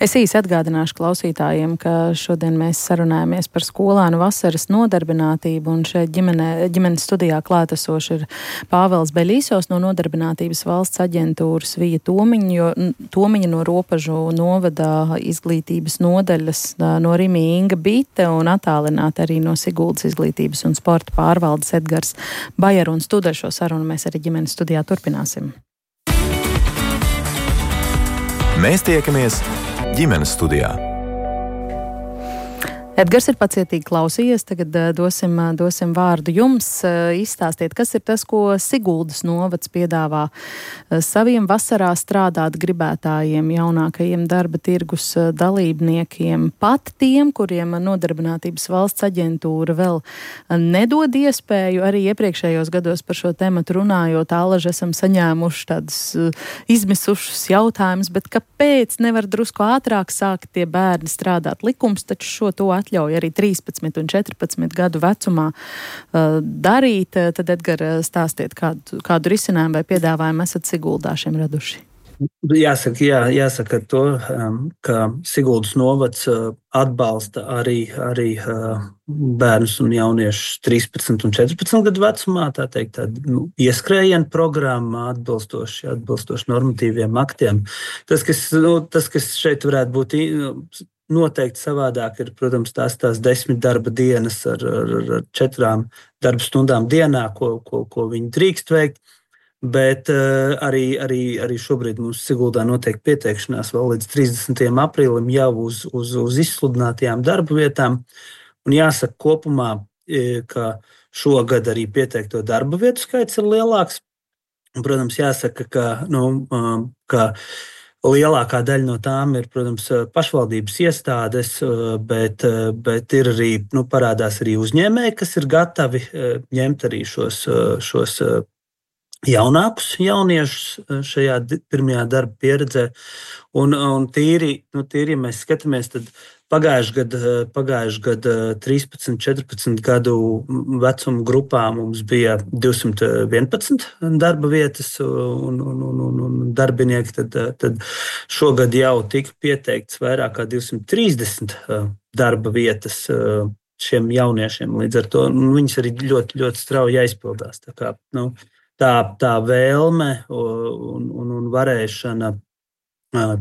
Es īsi atgādināšu klausītājiem, ka šodien mēs sarunājamies par skolēnu vasaras nodarbinātību, un šeit ģimenes studijā klātesoši ir Pāvels Beļīsovs no Nodarbinātības valsts aģentūras, Vija Tomiņa no Robežu novadā izglītības nodaļas, no Rimi Inga Bite un attālināti arī no Siguldas izglītības un sporta pārvaldes Edgars Bajer, un studēšo sarunu mēs arī ģimenes studijā turpināsim. Mēs tiekamies ģimenes studijā. Edgars ir pacietīgi klausījies, tagad dosim vārdu jums. Izstāstiet, kas ir tas, ko Siguldas novads piedāvā saviem vasarā strādāt gribētājiem, jaunākajiem darba tirgus dalībniekiem, pat tiem, kuriem Nodarbinātības valsts aģentūra vēl nedod iespēju. Arī iepriekšējos gados par šo tematu runājot, Alaži esam saņēmuši tādus izmisušus jautājumus, bet kāpēc nevar drusku ātrāk sākt tie bērni strādāt? Likums taču šo to atļauj arī 13 un 14 gadu vecumā darīt. Tad, Edgar, stāstiet, kādu risinājumu vai piedāvājumu esat Siguldā šiem raduši? Jāsaka to, ka Siguldas novads atbalsta arī bērnus un jauniešus 13 un 14 gadu vecumā, tā teikt, ieskrējienu programma atbilstoši normatīviem aktiem. Tas, kas šeit varētu būt noteikti savādāk, ir, protams, tās 10 darba dienas ar 4 darba stundām dienā, ko viņi drīkst veikt. Bet arī šobrīd mums Siguldā notiek pieteikšanās vēl līdz 30. aprīlim jau uz izsludinātajām darba vietām. Un jāsaka kopumā, ka šogad arī pieteikto darba vietu skaits ir lielāks. Un, protams, jāsaka, ka lielākā daļa no tām ir, protams, pašvaldības iestādes, bet ir arī, parādās arī uzņēmēji, kas ir gatavi ņemt arī šos jaunākus jauniešus šajā pirmajā darba pieredzē. Un tīri, ja mēs skatāmies, tad pagājuši gadu 13, 14 gadu vecuma grupā mums bija 211 darba vietas un darbinieki. Tad šogad jau tika pieteikts vairāk kā 230 darba vietas šiem jauniešiem. Līdz ar to viņas arī ļoti, ļoti strauji aizpildās. Tā vēlme un varēšana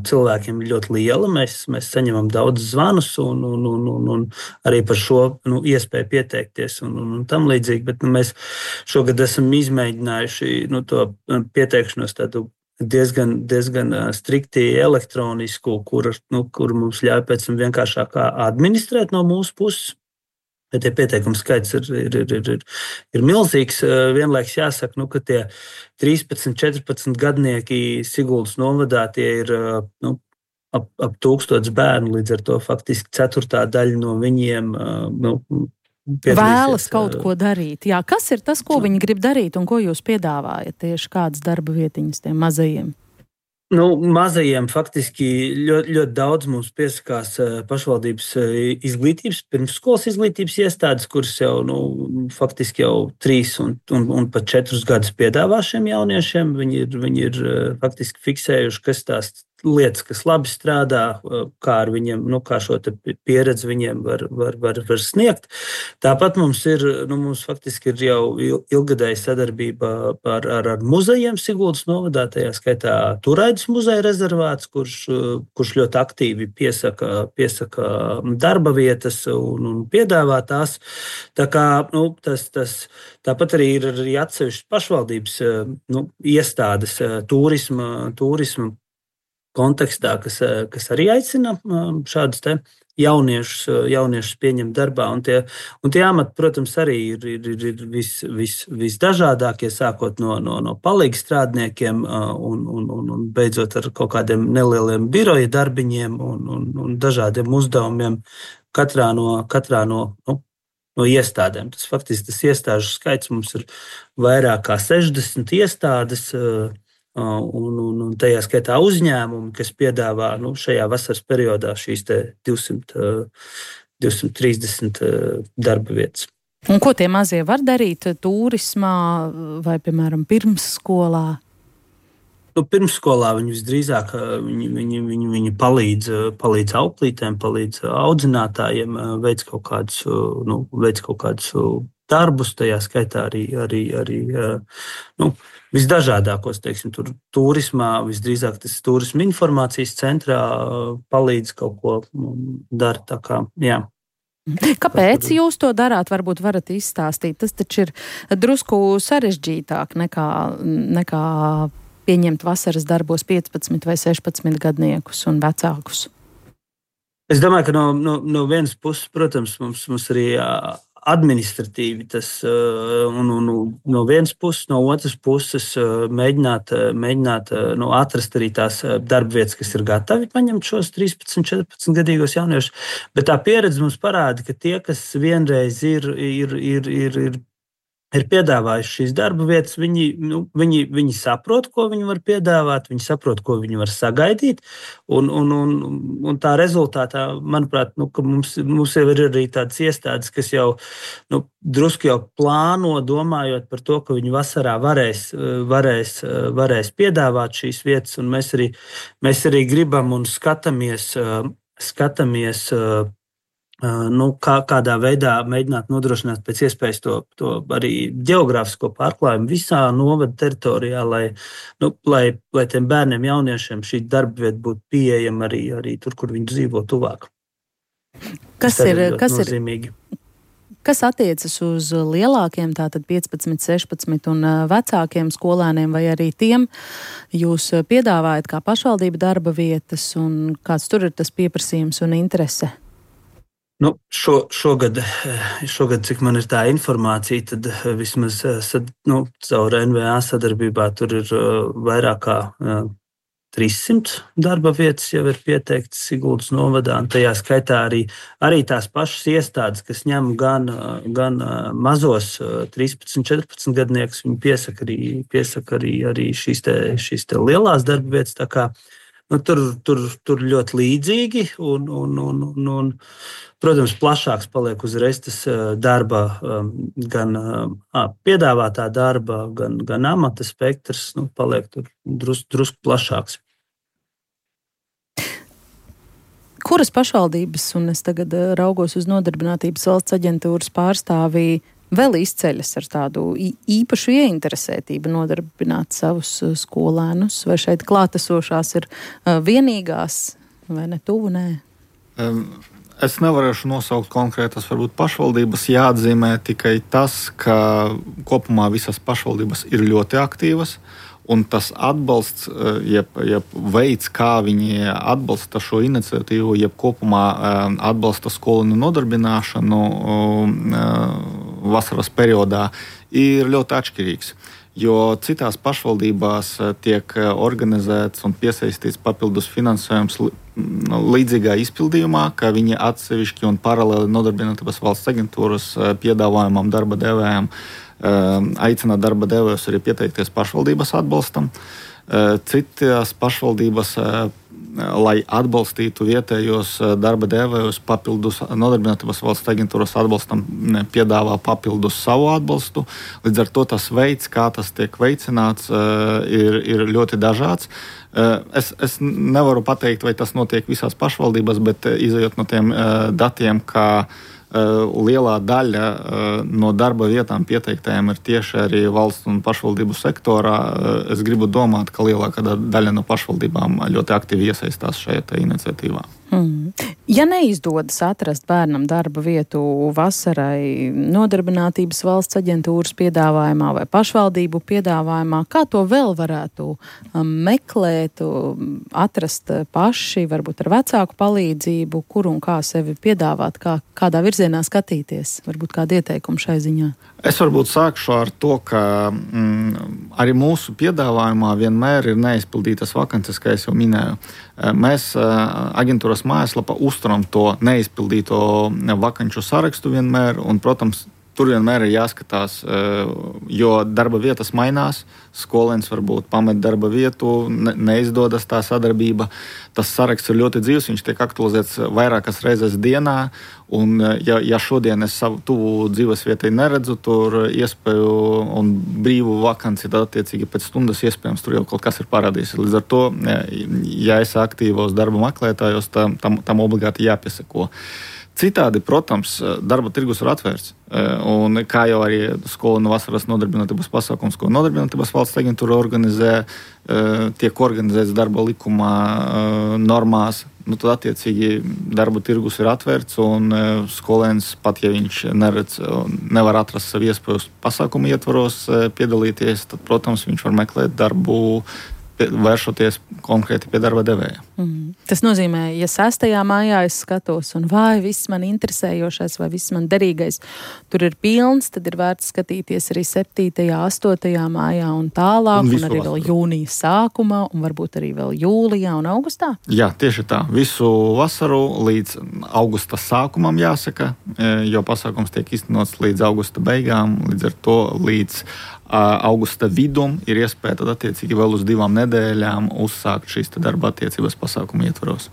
cilvēkiem ir ļoti liela. Mēs saņemam daudz zvanus un arī par šo iespēju pieteikties un tam līdzīgi. Bet mēs šogad esam izmēģinājuši to pieteikšanos tādu diezgan strikti elektronisku, kur mums ļauj pēc tam vienkāršāk administrēt no mūsu puses. Bet tie pieteikumu skaits ir milzīgs. Vienlaiks jāsaka, ka tie 13, 14 gadnieki Siguldas novadā tie ir ap 1000 bērnu. Līdz ar to faktiski ceturtā daļa no viņiem vēlas kaut ko darīt. Jā, kas ir tas, ko viņi grib darīt un ko jūs piedāvājat? Tieši kādas darba vietiņas tiem mazajiem? Mazajiem faktiski ļoti daudz mums piesakās pašvaldības izglītības, pirmsskolas izglītības iestādes, kuras jau faktiski jau 3 un pat 4 gadus piedāvā šiem jauniešiem. Viņi ir faktiski fiksējuši, kas tās lietas, kas labi strādā, kā ar viņiem, kā šo pieredzi viņiem var sniegt. Tāpat mums faktiski ir jau ilgadēja sadarbība ar muzejiem Siguldas novadā, tajā skaitā Turaidas muzeja rezervāts, kurš ļoti aktīvi piesaka darba vietas un piedāvā tās. Tā kā, tāpat arī ir atsevišķas pašvaldības iestādes turisma kontekstā, kas arī aicina šādus te jauniešus pieņemt darbā. Un tie amati, protams, arī ir visdažādākie, sākot no palīgu strādniekiem un beidzot ar kaut kādiem nelieliem biroja darbiņiem un dažādiem uzdevumiem katrā no iestādēm. Tas iestāžu skaits mums ir vairāk kā 60 iestādes, un tajā skaitā uzņēmumi, kas piedāvā šajā vasaras periodā šīs 230 darba vietas. Un ko tie mazie var darīt turismā vai, piemēram, pirmsskolā? Pirmsskolā viņi visdrīzāk viņi palīdz auklītēm, palīdz audzinātājiem, veic kaut kādus darbus, tajā skaitā arī visdažādākos, teiksim, turismā, visdrīzāk tas turisma informācijas centrā palīdz kaut ko dara. Tā kā, jā. Kāpēc jūs to darāt? Varbūt varat izstāstīt. Tas taču ir drusku sarežģītāk nekā pieņemt vasaras darbos 15 vai 16 gadniekus un vecākus. Es domāju, ka no vienas puses, protams, mums arī administratīvi tas no vienas puses, no otras puses mēģināt atrast arī tās darba vietas, kas ir gatavi paņemt šos 13, 14 gadīgos jauniešus. Bet tā pieredze mums parāda, ka tie, kas vienreiz ir piedāvājuši šīs darba vietas, viņi saprot, ko viņi var piedāvāt, viņi saprot, ko viņi var sagaidīt. Un tā rezultātā, manuprāt, ka mums jau ir arī tādas iestādes, kas jau drusku jau plāno, domājot par to, ka viņi vasarā varēs piedāvāt šīs vietas. Un mēs arī gribam un skatāmies kādā veidā mēģināt nodrošināt pēc iespējas to arī ģeogrāfisko pārklājumu visā novada teritorijā, lai tiem bērniem, jauniešiem šī darba vieta būtu pieejama arī tur, kur viņi dzīvo tuvāk. Kas attiecas uz lielākiem, tātad 15, 16 un vecākiem skolēniem, vai arī tiem jūs piedāvājat kā pašvaldība darba vietas, un kāds tur ir tas pieprasījums un interese? Šogad, cik man ir tā informācija, tad vismaz caur NVA sadarbībā tur ir vairāk kā 300 darba vietas jau ir pieteiktas Siguldas novadā. Tajā skaitā arī tās pašas iestādes, kas ņem gan mazos 13, 14 gadniekus, viņi piesaka arī šīs te lielās darba vietas. Tā kā tur ļoti līdzīgi un protams, plašāks paliek uzreiz tas darba, gan piedāvātā darba, gan amata spektrs, paliek tur drusku plašāks. Kuras pašvaldības, un es tagad raugos uz Nodarbinātības valsts aģentūras pārstāvī, vēl izceļas ar tādu īpašu ieinteresētību nodarbināt savus skolēnus, vai šeit klātesošās ir vienīgās, vai ne tuvu, nē? Es nevarēšu nosaukt konkrētas varbūt pašvaldības, jāatzīmē tikai tas, ka kopumā visas pašvaldības ir ļoti aktīvas Un tas atbalsts, jeb veids, kā viņi atbalsta šo iniciatīvu, jeb kopumā atbalsta skolēnu nodarbināšanu vasaras periodā, ir ļoti atšķirīgs. Jo citās pašvaldībās tiek organizēts un piesaistīts papildus finansējums līdzīgā izpildījumā, ka viņi atsevišķi un paralēli Nodarbinātības valsts aģentūras piedāvājumam darba devējiem aicina darba devējus arī pieteikties pašvaldības atbalstam. Citās pašvaldības, lai atbalstītu vietējos darba devējus, papildus Nodarbinātības valsts aģentūras atbalstam piedāvā papildus savu atbalstu. Līdz ar to tas veids, kā tas tiek veicināts, ir ļoti dažāds. Es nevaru pateikt, vai tas notiek visās pašvaldībās, bet izejot no tiem datiem, ka lielā daļa no darba vietām pieteiktajiem ir tieši arī valsts un pašvaldību sektorā. Es gribu domāt, ka lielākā daļa no pašvaldībām ļoti aktīvi iesaistās šajā iniciatīvā. Ja neizdodas atrast bērnam darba vietu vasarai Nodarbinātības valsts aģentūras piedāvājumā vai pašvaldību piedāvājumā, kā to vēl varētu meklēt, atrast paši, varbūt ar vecāku palīdzību, kur un kā sevi piedāvāt, kādā virzienā skatīties? Varbūt kādi ieteikumi šai ziņā? Es varbūt sākšu ar to, ka arī mūsu piedāvājumā vienmēr ir neizpildītas vakances, kā es jau minēju. Mēs aģentūras mājaslapā uzturam to neizpildīto vakanču sarakstu vienmēr, un, protams, tur vienmēr ir jāskatās, jo darba vietas mainās, skolēns varbūt pamet darba vietu, neizdodas tā sadarbība. Tas saraksts ir ļoti dzīvs, viņš tiek aktualizēts vairākas reizes dienā, un ja šodien es savu tuvu dzīves vietai neredzu, tur iespēju un brīvu vakanci, tad attiecīgi pēc stundas iespējams tur jau kaut kas ir parādījis. Līdz ar to, ja es aktīvos darba meklētājos, tam obligāti jāpiesako. Citādi, protams, darba tirgus ir atvērts. Un kā jau arī skolēnu vasaras nodarbinātības pasākums, ko Nodarbinātības valsts aģentūra organizē, tiek organizēts darba likumā normās, tad attiecīgi darba tirgus ir atvērts, un skolēns, pat ja viņš nevar atrast savu iespēju pasākumu ietvaros piedalīties, tad, protams, viņš var meklēt darbu, vēršoties konkrēti pie darba devēja. Tas nozīmē, ja 6. maijā es skatos un vai viss man interesējošais vai viss man derīgais tur ir pilns, tad ir vērts skatīties arī 7., 8. maijā un tālāk, un arī vēl jūnija sākumā, un varbūt arī vēl jūlijā un augustā? Jā, tieši tā. Visu vasaru līdz augusta sākumam jāsaka, jo pasākums tiek iztenots līdz augusta beigām, līdz ar to līdz augusta vidum ir iespēja tad attiecīgi vēl uz 2 nedēļām uzsākt šīs darba attiecības pasākumu ietvaros.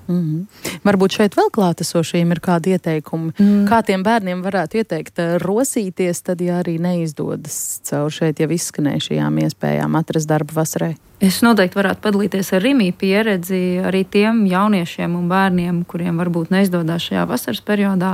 Varbūt šeit vēl klātesošiem ir kādi ieteikumi, kā tiem bērniem varētu ieteikt rosīties, tad ja arī neizdodas caur šeit jau izskanējušajām iespējām atrast darbu vasarai? Es noteikti varētu padalīties ar Rimī pieredzi arī tiem jauniešiem un bērniem, kuriem varbūt neizdodas šajā vasaras periodā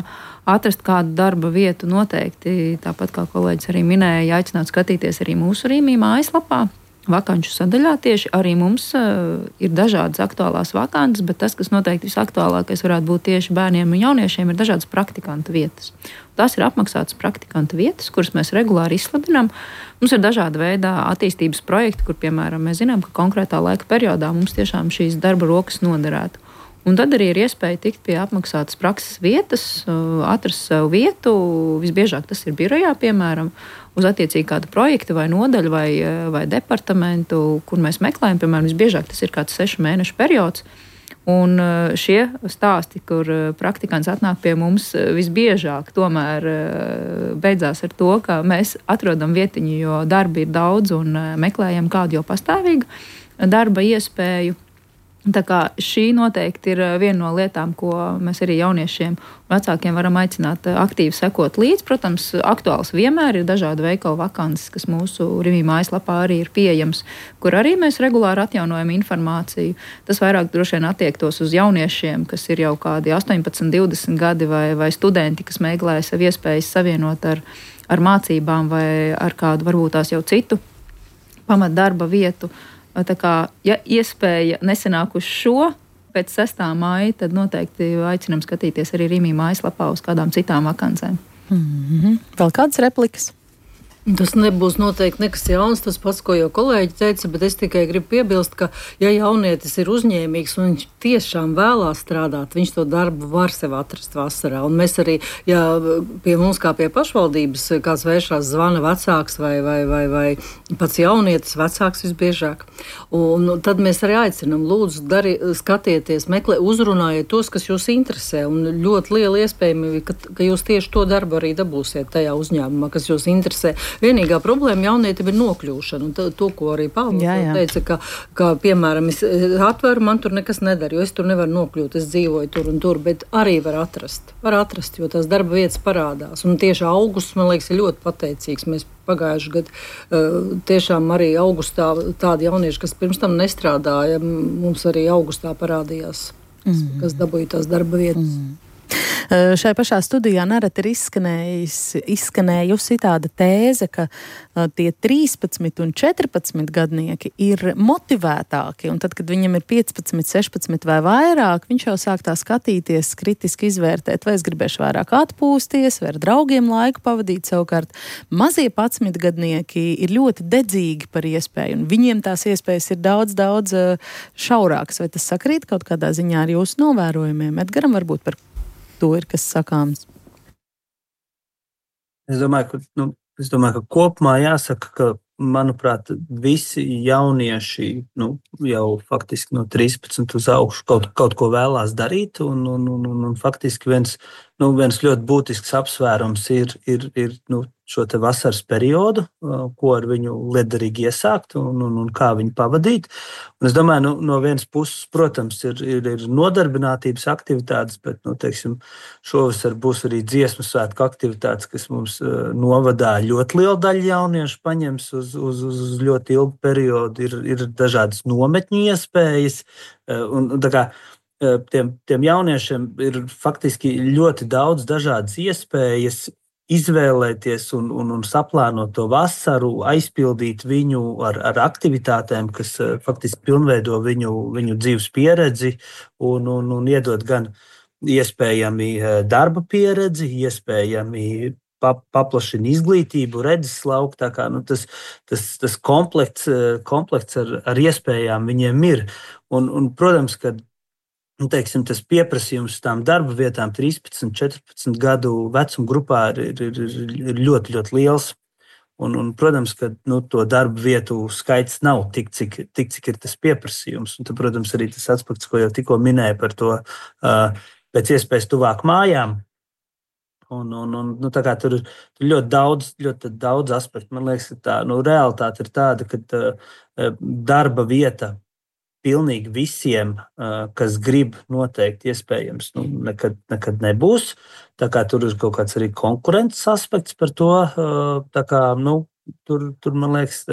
atrast kādu darba vietu noteikti. Tāpat kā kolēģis arī minēja, aicināt skatīties arī mūsu Rimī mājaslapā. Vakanču sadaļā tieši arī mums ir dažādas aktuālās vakances, bet tas, kas noteikti visaktuālākais varētu būt tieši bērniem un jauniešiem, ir dažādas praktikantu vietas. Tās ir apmaksātas praktikantu vietas, kuras mēs regulāri izsludinām. Mums ir dažāda veida attīstības projekti, kur, piemēram, mēs zinām, ka konkrētā laika periodā mums tiešām šīs darba rokas noderētu. Un tad arī ir iespēja tikt pie apmaksātas prakses vietas, atrast sev vietu. Visbiežāk tas ir birojā, piemēram, uz attiecīgi kādu projektu vai nodaļu vai departamentu, kur mēs meklējam. Piemēram, visbiežāk tas ir kāds 6 mēnešu periods. Un šie stāsti, kur praktikants atnāk pie mums, visbiežāk tomēr beidzās ar to, ka mēs atrodam vietiņu, jo darba ir daudz un meklējam kādu jau pastāvīgu darba iespēju. Tā kā šī noteikti ir viena no lietām, ko mēs arī jauniešiem un vecākiem varam aicināt aktīvi sekot līdz. Protams, aktuāls vienmēr ir dažādi veikalu vakances, kas mūsu Rimī mājaslapā arī ir pieejams, kur arī mēs regulāri atjaunojam informāciju. Tas vairāk droši vien attiektos uz jauniešiem, kas ir jau kādi 18, 20 gadi vai studenti, kas meklē sev iespējas savienot ar mācībām vai ar kādu varbūt tās jau citu pamatdarba vietu. Tā kā, ja iespēja nesenāk uz šo, pēc 6. maija, tad noteikti aicinām skatīties arī Rimī mājaslapā uz kādām citām vakancēm. Vēl kādas replikas? Tas nebūs noteikti nekas jauns, tas pats, ko jau kolēģi teica, bet es tikai gribu piebilst, ka, ja jaunietis ir uzņēmīgs un viņš tiešām vēlās strādāt, viņš to darbu var sev atrast vasarā. Un mēs arī, ja pie mums kā pie pašvaldības kāds vēršās zvana vecāks vai pats jaunietis vecāks visbiežāk. Un tad mēs arī aicinam, lūdzu, skatieties, uzrunājiet tos, kas jūs interesē. Un ļoti liela iespējami, ka jūs tieši to darbu arī dabūsiet tajā uzņēmumā, kas jūs interesē. Vienīgā problēma jaunietim ir nokļūšana. Un to, ko arī Pāvils teica, ka, piemēram, es atveru, man tur nekas nedara, jo es tur nevaru nokļūt, es dzīvoju tur un tur, bet arī var atrast, jo tās darba vietas parādās. Un tieši augusts, man liekas, ir ļoti pateicīgs. Mēs pagājuši gadu tiešām arī augustā tādi jaunieši, kas pirms tam nestrādāja, mums arī augustā parādījās, kas dabūja tās darba vietas. Šai pašā studijā nereti ir izskanējusi tāda tēze, ka tie 13 un 14 gadnieki ir motivētāki, un tad, kad viņam ir 15, 16 vai vairāk, viņš jau sāk tā skatīties, kritiski izvērtēt, vai es gribēšu vairāk atpūsties, vai ar draugiem laiku pavadīt. Savukārt mazie 11 gadnieki ir ļoti dedzīgi par iespēju, un viņiem tās iespējas ir daudz šaurākas. Vai tas sakrīt kaut kādā ziņā ar jūsu novērojumiem? Edgaram varbūt par to ir kas sakāms. Es domāju, ka kopumā jāsaka, ka, manuprāt, visi jaunieši jau faktiski no 13 uz augšu kaut ko vēlās darīt, un faktiski viens ļoti būtisks apsvērums ir šo te vasaras periodu, ko ar viņu lietderīgi iesākt un kā viņu pavadīt. Un es domāju, no vienas puses, protams, ir nodarbinātības aktivitātes, bet, teiksim, šovasar būs arī dziesmu svētku aktivitātes, kas mums novadā ļoti liela daļa jauniešu paņems uz ļoti ilgu periodu. Ir dažādas nometņu iespējas, un tā kā tiem jauniešiem ir faktiski ļoti daudz dažādas iespējas izvēlēties un saplānot to vasaru, aizpildīt viņu ar aktivitātēm, kas faktiski pilnveido viņu dzīves pieredzi un iedod gan iespējami darba pieredzi, iespējami paplašina izglītību, redzeslauku. Tā kā tas komplekts ar iespējām viņiem ir. Un protams, ka tas pieprasījums tām darba vietām 13, 14 gadu vecuma grupā ir ļoti, ļoti liels. Un, protams, ka to darba vietu skaits nav tik, cik ir tas pieprasījums. Un tad, protams, arī tas aspekts, ko jau tikko minēju par to pēc iespējas tuvāk mājām. Tā kā tur ir ļoti daudz aspektu. Man liekas, ka realitāte ir tāda, ka darba vieta pilnīgi visiem, kas grib, noteikti iespējams, nekad nebūs. Tā kā tur ir kaut kāds arī konkurences aspekts par to. Tā kā, tur, man liekas,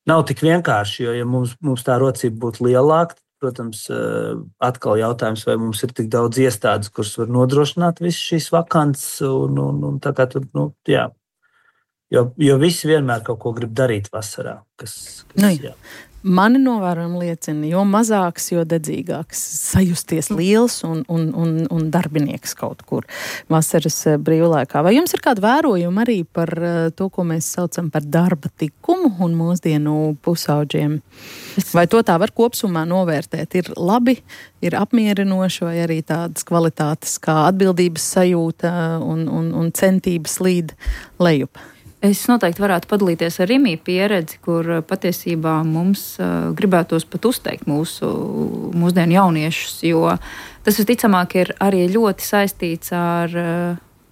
nav tik vienkārši, jo, ja mums tā rocība būtu lielāka, protams, atkal jautājums, vai mums ir tik daudz iestādes, kuras var nodrošināt visas šīs vakances, un tā kā tur, jā. Jo visi vienmēr kaut ko grib darīt vasarā. Jā. Mani novērojumi liecina, jo mazāks, jo dedzīgāks, sajusties liels un darbinieks kaut kur vasaras brīvlaikā. Vai jums ir kādi vērojumi arī par to, ko mēs saucam par darba tikumu un mūsdienu pusauģiem? Vai to tā var kopsumā novērtēt? Ir labi, ir apmierinoši, vai arī tādas kvalitātes kā atbildības sajūta un centības līd lejup? Es noteikti varētu padalīties ar Rimī pieredzi, kur patiesībā mums gribētos pat uzteikt mūsdienu jauniešus, jo tas visticamāk ir arī ļoti saistīts ar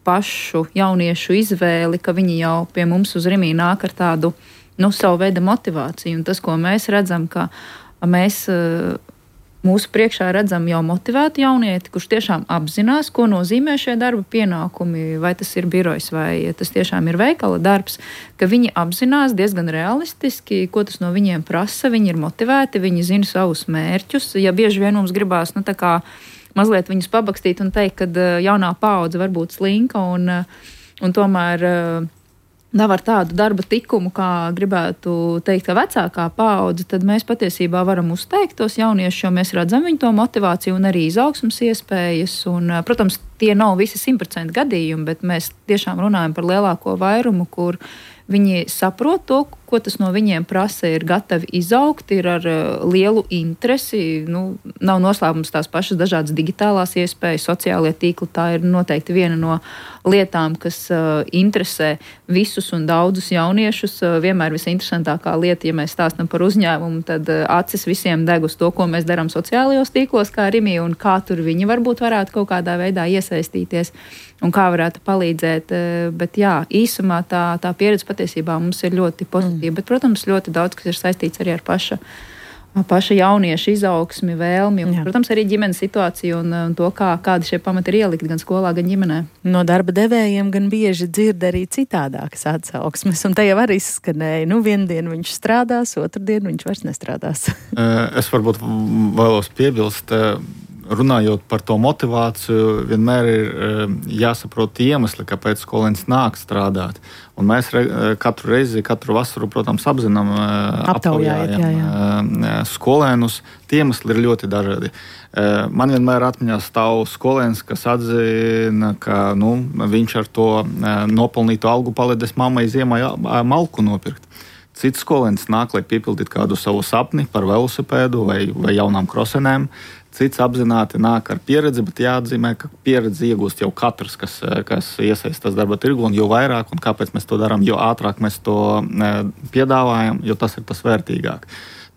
pašu jauniešu izvēli, ka viņi jau pie mums uz Rimī nāk ar tādu savu veidu motivāciju. Un tas, ko mēs redzam, ka mēs mūsu priekšā redzam jau motivētu jaunieti, kurš tiešām apzinās, ko nozīmē šie darba pienākumi, vai tas ir birojs, vai tas tiešām ir veikala darbs, ka viņi apzinās diezgan realistiski, ko tas no viņiem prasa, viņi ir motivēti, viņi zina savus mērķus. Ja bieži vien mums gribās, tā kā mazliet viņus pabakstīt un teikt, ka jaunā paudze var būt slinka un tomēr nav ar tādu darba tikumu, kā gribētu teikt, ka vecākā paudze, tad mēs patiesībā varam uzteikt tos jauniešus, jo mēs redzam viņu to motivāciju un arī izaugsmas iespējas. Un, protams, tie nav visi 100% gadījumi, bet mēs tiešām runājam par lielāko vairumu, kur viņi saprot to, ko tas no viņiem prasa, ir gatavi izaugt, ir ar lielu interesi. Nav noslēpums tās pašas dažādas digitālās iespējas, sociālie tīkli. Tā ir noteikti viena no lietām, kas interesē visus un daudzus jauniešus. Vienmēr visinteresantākā lieta, ja mēs stāstam par uzņēmumu, tad acis visiem deg uz to, ko mēs darām sociālajos tīklos, kā Rimija, un kā tur viņi varbūt varētu kaut kādā veidā iesaistīties un kā varētu palīdzēt. Bet jā, īsumā tā pieredze patiesībā mums ir ļoti pozitīva. Bet, protams, ļoti daudz, kas ir saistīts arī ar paša jaunieša izaugsmi, vēlmi un, protams, arī ģimenes situāciju un to, kādi šie pamati ir ielikti gan skolā, gan ģimenē. No darba devējiem gan bieži dzird arī citādākas atsauksmes, un te jau arī izskanēja, vienu dienu viņš strādās, otru dienu viņš vairs nestrādās. Es varbūt vēlos piebilst, runājot par to motivāciju, vienmēr ir jāsaprot iemesli, kāpēc skolēns nāk strādāt. Un mēs katru reizi, katru vasaru, protams, aptaujājam skolēnus. Tie iemesli ir ļoti dažādi. Man vienmēr atmiņā stāv skolēns, kas atzina, ka viņš ar to nopelnīto algu palīdzēs mammai ziemā malku nopirkt. Cits skolēns nāk, lai piepildītu kādu savu sapni par velosipēdu vai jaunām krosenēm. Cits apzināti nāk ar pieredzi, bet jāatzīmē, ka pieredzi iegūst jau katrs, kas iesaistās darba tirgu, un jo vairāk un kāpēc mēs to darām, jo ātrāk mēs to piedāvājam, jo tas ir tas vērtīgāk.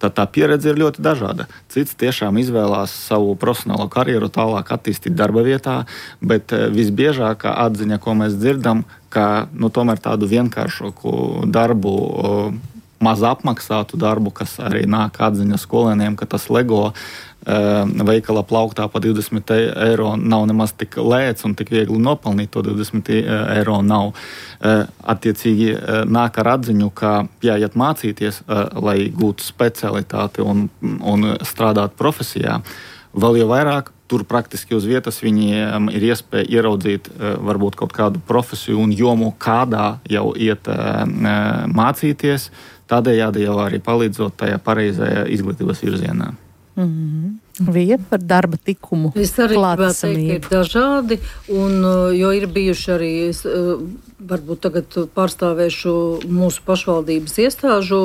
Tad tā pieredze ir ļoti dažāda. Cits tiešām izvēlās savu profesionālo karjeru tālāk attīstīt darba vietā, bet visbiežākā atziņa, ko mēs dzirdam, ka tomēr tādu vienkāršāku darbu, maz apmaksātu darbu, kas arī nāk atziņa skolēniem, ka tas LEGO veikala plauktā pa 20 eiro nav nemaz tik lēts un tik viegli nopelnīt to 20 eiro nav. Attiecīgi nāk ar atziņu, ka jāiet mācīties, lai gūtu specialitāti un strādāt profesijā. Vēl jau vairāk, tur praktiski uz vietas viņiem ir iespēja ieraudzīt varbūt kaut kādu profesiju un jomu, kādā jau iet mācīties, tādējādi jau arī palīdzot tajā pareizajā izglītības virzienā. Vija par darba tikumu. Es arī gribētu teikt, ka ir dažādi, jo ir bijuši arī, varbūt tagad pārstāvēšu mūsu pašvaldības iestāžu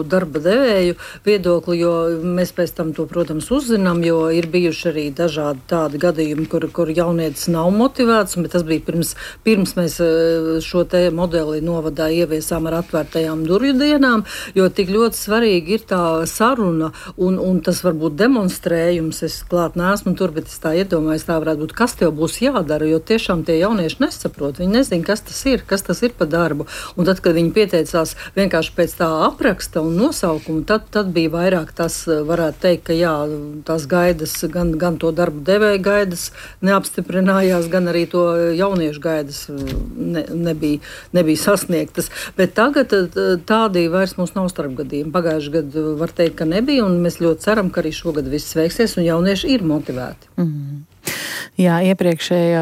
darba devēju viedokli, jo mēs pēc tam to, protams, uzzinām, jo ir bijuši arī dažādi tādi gadījumi, kur jaunietis nav motivēts, bet tas bija pirms mēs šo te modeli novadā ieviesām ar atvērtajām durvju dienām, jo tik ļoti svarīgi ir tā saruna un tas varbūt demonstrējums. Es klāt neesmu tur, bet es tā iedomājos, tā varētu būt, kas tev būs jādara, jo tiešām tie jaunieši nesaprot, viņi nezin, kas tas ir pa darbu. Un tad, kad viņi pieteicās vienkārši pēc tā apraksta un nosaukuma, tad bija vairāk tas, varētu teikt, ka jā, tās gaidas, gan to darbu devēja gaidas neapstiprinājās, gan arī to jauniešu gaidas nebija sasniegtas. Bet tagad tādi vairs mums nav starpgadījumi. Pagājuši gadu var teikt, ka nebija, un mēs ļoti ceram, ka arī šogad viss veiksies, un jaunieši ir motivēti. Jā, iepriekšējā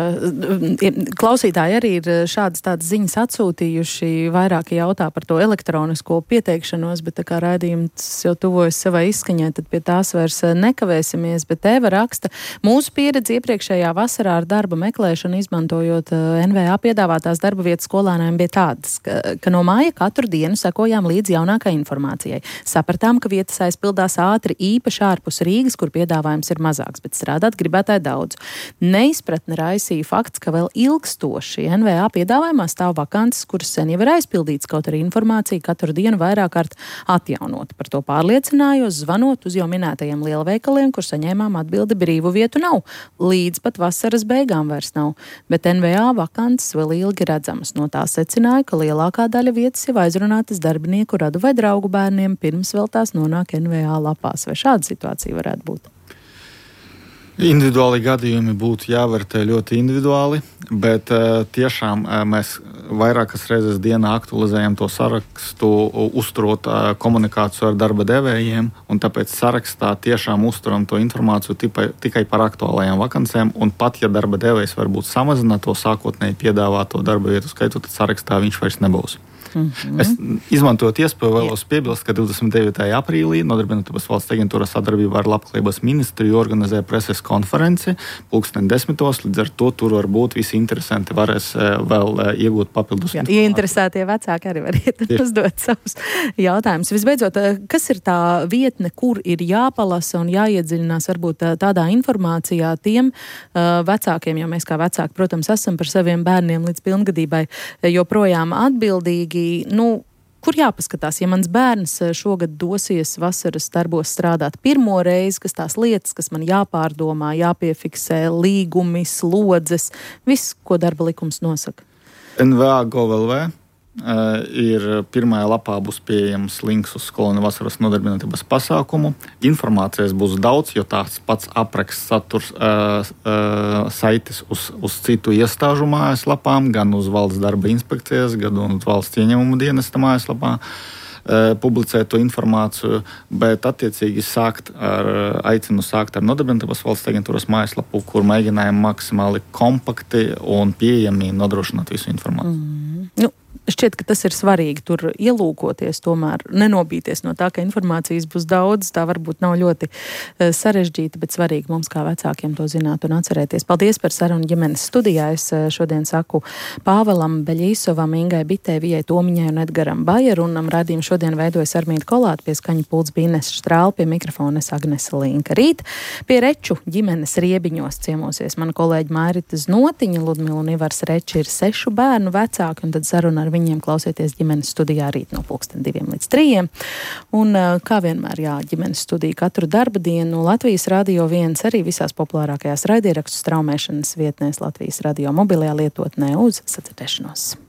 klausītāji arī ir šādas tādas ziņas atsūtījuši, vairāki jautā par to elektronisko pieteikšanos, bet tā kā raidījums jau tuvojas savai izskaņai, tad pie tās vairs nekavēsimies, bet Eva raksta, mūsu pieredze iepriekšējā vasarā ar darba meklēšanu, izmantojot NVA piedāvātās darba vietas skolēniem, bija tādas, ka no māja katru dienu sekojām līdz jaunākai informācijai. Sapratām, ka vietas aizpildās ātri, īpaši ārpus Rīgas, kur piedāvājums ir mazāks, bet strādāt gribētāji daudz. Neizpratne raisīja fakts, ka vēl ilgstoši NVA piedāvājumā stāv vakances, kuras sen jau ir aizpildīts, kaut arī informācija katru dienu vairāk kārt atjaunot. Par to pārliecinājos, zvanot uz jau minētajiem lielveikaliem, kur saņēmām atbildi brīvu vietu nav. Līdz pat vasaras beigām vairs nav. Bet NVA vakances vēl ilgi redzamas. No tā secināja, ka lielākā daļa vietas jau aizrunātas darbinieku radu vai draugu bērniem, pirms vēl tās nonāk NVA lapās. Vai šāda situācija varētu būt? Individuāli gadījumi būtu jāvērtē ļoti individuāli, bet tiešām mēs vairākas reizes dienā aktualizējam to sarakstu, uzturot komunikāciju ar darba devējiem, un tāpēc sarakstā tiešām uzturam to informāciju tikai par aktuālajām vakancēm, un pat ja darba devējs varbūt samazina to sākotnēji piedāvāto darba vietu skaitu, tad sarakstā viņš vairs nebūs. Es izmantojot iespēju vēlos piebilst, ka 29. aprīlī Nodarbinātības valsts aģentūra sadarbībā ar Labklājības ministriju organizē preses konferenci 10:00, līdz ar to tur varbūt visi interesanti varēs vēl iegūt papildus. Jā, ieinteresētie vecāki arī var uzdot savus jautājumus. Visbeidzot, kas ir tā vietne, kur ir jāpalasa un jāiedziļinās varbūt tādā informācijā tiem vecākiem, jo mēs kā vecāki, protams, esam par saviem bērniem līdz pilngadībai joprojām atbildīgi. Kur jāpaskatās, ja mans bērns šogad dosies vasaras darbos strādāt pirmo reizi, kas tās lietas, kas man jāpārdomā, jāpiefiksē, līgumi, slodzes, viss, ko darba likums nosaka? NVA.gov.lv ir pirmajā lapā būs pieejams links uz skolēnu vasaras nodarbinātības pasākumu. Informācijas būs daudz, jo tās pats apraksts saturs saites uz citu iestāžu mājaslapām, gan uz valsts darba inspekcijas, gan uz valsts ieņēmumu dienesta mājaslapā publicēt to informāciju, bet attiecīgi aicinu sākt ar Nodarbinātības valsts aģentūras mājaslapu, kur mēģinājam maksimāli kompakti un pieejami nodrošināt visu informāciju. Šķiet, ka tas ir svarīgi tur ielūkoties, tomēr nenobīties no tā, ka informācijas būs daudz, tā varbūt nav ļoti sarežģīta, bet svarīgi mums kā vecākiem to zināt un atcerēties. Paldies par sarunu ģimenes studijā. Es šodien saku Pāvelam Beļīsovam, Ingai Bitēvijai, Tomiņai un Edgaram Bajerunam. Radījumu šodien veidojas Armīta Kolāta, pie skaņa pults bija Ines Štrāla, pie mikrofona Agnese Linka. Rīt pie Reču ģimenes riebiņos ciemosies mana kolēģa Mairita Znotiņa. Ludmila un Ivars Reči ir 6 bērnu vecāki, un tad saruna ar viņiem klausieties ģimenes studijā rīt no 2:00 līdz 3:00. Un kā vienmēr, ģimenes studija katru darba dienu Latvijas Radio 1 arī visās populārākajās raidierakstu straumēšanas vietnēs Latvijas Radio mobilajā lietotnē uz sadzirdēšanos.